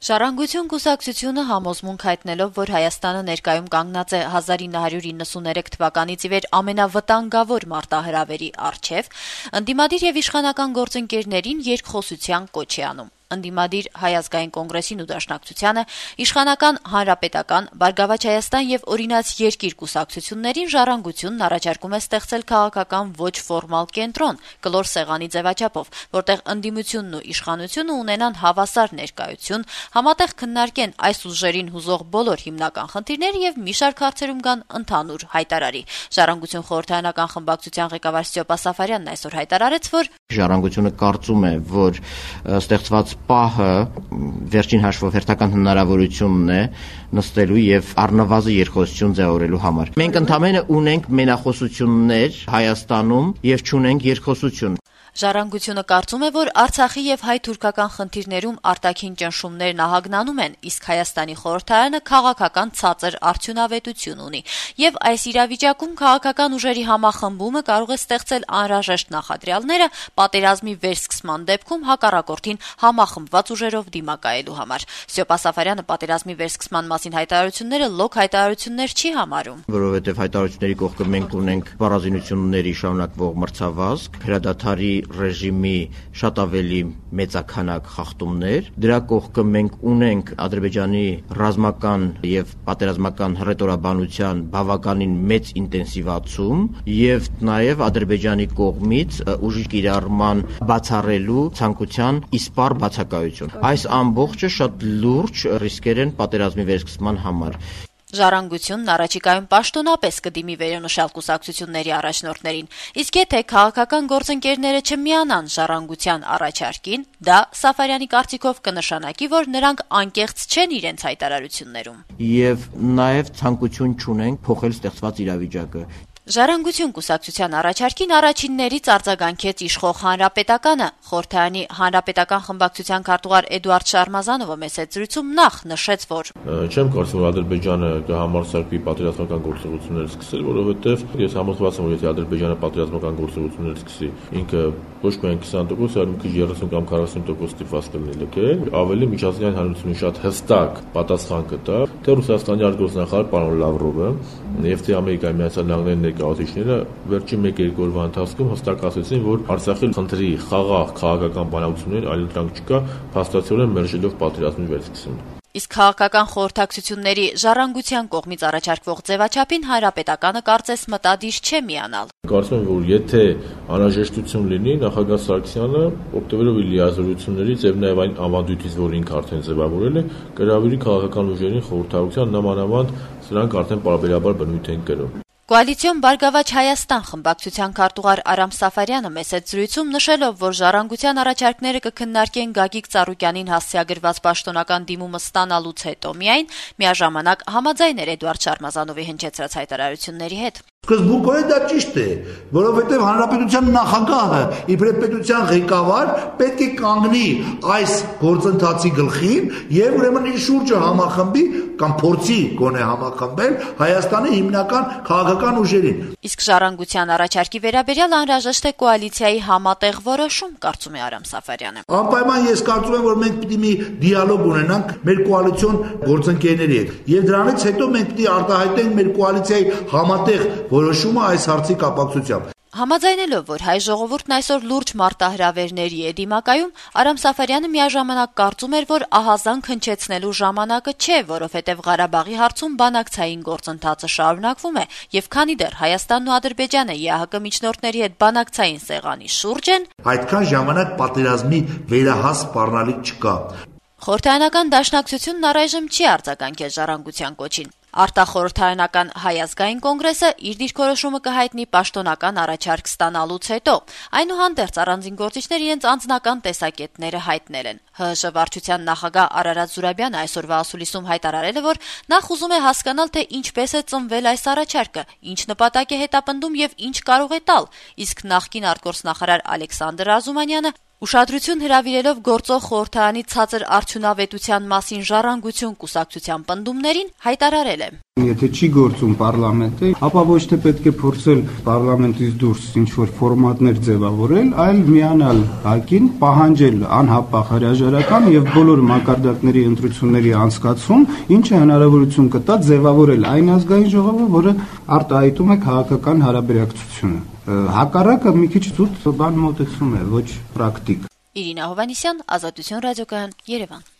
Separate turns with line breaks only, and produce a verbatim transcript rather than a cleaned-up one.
Ժառանգություն կուսակցությունը համոզմունք հայտնելով, որ Հայաստանը ներկայում կանգնած է հազար ինը հարյուր իննսուներեք թվականից ի վեր ամենավտանգավոր մարտահրավերի առջև, ընդդիմադիր եւ իշխանական գործընկերներին երկխոսության կոչ է անում. Ընդդիմադիր Հայ ազգային կոնգրեսին ու Դաշնակցությանը, իշխանական Հանրապետական, Բարգավաճ Հայաստան եւ Օրինաց երկիր կուսակցություններին Ժառանգությունն առաջարկում է ստեղծել քաղաքական ոչ ֆորմալ կենտրոն, կլոր սեղանի ձևաչափով, որտեղ ընդդիմությունն ու իշխանությունը ունենան հավասար ներկայություն, համատեղ քննարկեն այս ուժերին հուզող բոլոր հիմնական խնդիրները եւ մի շարք հարցերում կան ընդհանուր հայտարարի։ Ժառանգություն խորհրդարանական խմբակցության ղեկավար Սյոպա Սաֆարյանն այսօր հայտարարեց, որ
Ժառանգությունը կարծում է, որ ստեղծված պահը վերջին հաշվով հերթական հնարավորությունն է նստելու եւ առնվազն երկխոսություն ձևավորելու համար։ Մենք ընդամենը ունենք մենախոսություններ Հայաստանում եւ չունենք երկխոսություն։
Ժառանգությունը կարծում է, որ Արցախի եւ հայ-թուրքական խնդիրներում արտաքին ճնշումներն ահագնանում են, իսկ Հայաստանի խորհրդարանը քաղաքական ցածր արդյունավետություն ունի, եւ այս իրավիճակում քաղաքական ուժերի համախմբումը կարող է ստեղծել անհրաժեշտ նախադրյալները պատերազմի վերսկսման դեպքում հակառակորդին համախմբված ուժերով դիմակայելու համար։ Սյոպա Սաֆարյանը պատերազմի վերսկսման մասին հայտարարությունները լոկ հայտարարություններ չի համարում,
որովհետեւ հայտարարությունների կողքը մենք ունենք բառազինությունների շարունակվող մրցավազք, հրադադարի ռեժիմի շատ ավելի մեծաքանակ խախտումներ, դրա կողքը մենք ունենք Ադրբեջանի ռազմական եւ պատերազմական հռետորաբանության բավականին մեծ ինտենսիվացում եւ նաեւ Ադրբեջանի կողմից ուժի կիրառման բացառելու ցանկության իսպառ բացակայություն։ Այս ամբողջը շատ լուրջ ռիսկեր են պատերազմի վերսկսման համար։
Ժառանգությունն առաջիկայում պաշտոնապես կդիմի վերոնշյալ կուսակցությունների առաջնորդներին, իսկ եթե քաղաքական գործընկերները չմիանան Ժառանգության առաջարկին, դա Սաֆարյանի կարծիքով կնշանակի, որ նրանք անկեղծ չեն իրենց հայտարարություններում։
Եվ նաեւ ցանկություն չունենք փոխել ստեղծված իրավիճակը։
Ժառանգություն կուսակցության առաջարկին առաջիններից արձագանքեց իշխող Հանրապետականը։ Խորհրդարանի Հանրապետական խմբակցության քարտուղար Էդուարդ Շարմազանովը մեծ զրույցում նախ նշեց, որ
չեմ կարծում, որ Ադրբեջանը կհամարձակվի պատերազմական գործողություններ սկսել, որովհետև ես համոզված եմ, որ եթե Ադրբեջանը պատերազմական գործողություններ սկսի, ինքը ոչ միայն քսան տոկոս, այլ մի քիչ երեսուն կամ քառասուն տոկոս ստիպված կլինի լքել, ավելի միջազգային հանրությունի շատ հստակ պատասխան կտա, թե Ռուսաստանի արտգործնախարար պարոն Լավրովը եւ թե Ամերիկայի Միացյալ Նահանգների ներկայացուցիչները վերջին մեկ-երկու օրվա ընթացքում հստակ ասացին, որ Արցախի խնդրի խաղաղ քաղաքական բանակցություններ այլ դրանք չկա, փաստացիորեն մերժելով պատերազմի վերսկսումը։
Իսկ քաղաքական խորհրդակցությունների Ժառանգության կողմից առաջարկվող ձևաչափին Հանրապետականը կարծես մտադիր չէ միանալ։
Կարծում եմ, որ եթե անհրաժեշտություն լինի, նախագահ Սարգսյանը օգտվելով իր լիազորություններից եւ նաեւ այն ավանդույթից, որ ինքը արդեն ձևավորել է, կհրավիրի քաղաքական ուժերին խորհրդակցության նամանավանդ սրանք արդեն պարբերաբար բնույթ են կրում։
Կոալիցիոն Բարգավաճ Հայաստան խմբակցության քարտուղար Արամ Սաֆարյանը մեծ զրույցում նշելով, որ Ժառանգության առաջարկները կքննարկեն Գագիկ Ծառուկյանին հասցեագրված պաշտոնական դիմումը ստանալուց հետո միայն, միաժամանակ համաձայն էր Էդուարդ Շարմազանովի հնչեցրած հայտարարությունների հետ։
Սկզբունքորեն դա ճիշտ է, որովհետև հանրապետության նախագահը իբրև պետության ղեկավար պետք է կանգնի այս գործընթացի գլխին եւ ուրեմն իր շուրջը համախմբի կամ փորձի գոնե համախմբել Հայաստանի հիմնական քաղաքական ուժերին։
Իսկ Ժառանգության առաջարկի վերաբերյալ անհրաժեշտ է կոալիցիայի համատեղ որոշում, կարծում է Արամ Սաֆարյանը։
Անպայման ես կարծում եմ, որ մենք պիտի մի դիալոգ ունենանք մեր կոալիցիոն գործընկերների հետ եւ դրանից հետո մենք պիտի արտահայտենք մեր կոալիցիայի համատեղ որոշումը այս հարցի կապակցությամբ։
Համաձայնելով, որ հայ ժողովուրդն այսօր լուրջ մարտահրավերների է դիմակայում, Արամ Սաֆարյանը միաժամանակ կարծում էր, որ ահազանգ հնչեցնելու ժամանակը չէ, որովհետև Ղարաբաղի հարցում բանակցային գործընթացը շարունակվում է, եւ քանի դեռ Հայաստանն ու Ադրբեջանը ԵԱՀԿ միջնորդների հետ բանակցային սեղանի շուրջ են,
այդքան ժամանակ պատերազմի վերահաս սպառնալիք չկա։
Խորհրդարանական Դաշնակցությունն առայժմ չի արձագանքել Ժառանգության կոչին։ Արտախորհրդարանական Հայ ազգային կոնգրեսը իր դիրքորոշումը կհայտնի պաշտոնական առաջարկ ստանալուց հետո։ Այնուհանդերձ առանձին գործիչներ իրենց անձնական տեսակետները հայտնել են։ ՀՀՇ վարչության նախագահ Արարատ Զուրաբյանը այսօրվա ասուլիսում հայտարարել է, որ նախ ուզում է հասկանալ, թե ինչպես է ծնվել այս առաջարկը, ինչ նպատակ է հետապնդում եւ ինչ կարող է տալ, իսկ նախկին արտգործնախարար Ալեքսանդր Ազումանյանը ուշադրություն հրավիրելով գործող խորհրդարանի ցածր արդյունավետության մասին Ժառանգություն կուսակցության պնդումներին հայտարարել է.
Եթե չի գործում պարլամենտը, ապա ոչ թե պետք է փորձել պարլամենտից դուրս ինչ-որ ֆորմատներ ձևավորել, այլ միանալ ՀԱԿ-ին, պահանջել անհապաղ հրաժարական եւ բոլոր մակարդակների ընտրությունների անցկացում, ինչը հնարավորություն կտա ձևավորել այն ազգային ժողովը, որը արտահայտում է քաղաքական հարաբերակցությունը։ Հակառակը մի քիչ զուտ բան մոտեցում է, ոչ պրակտիկ։
Իրինա Հովանեսյան, Ազատություն ռադիոկայան, Երևան։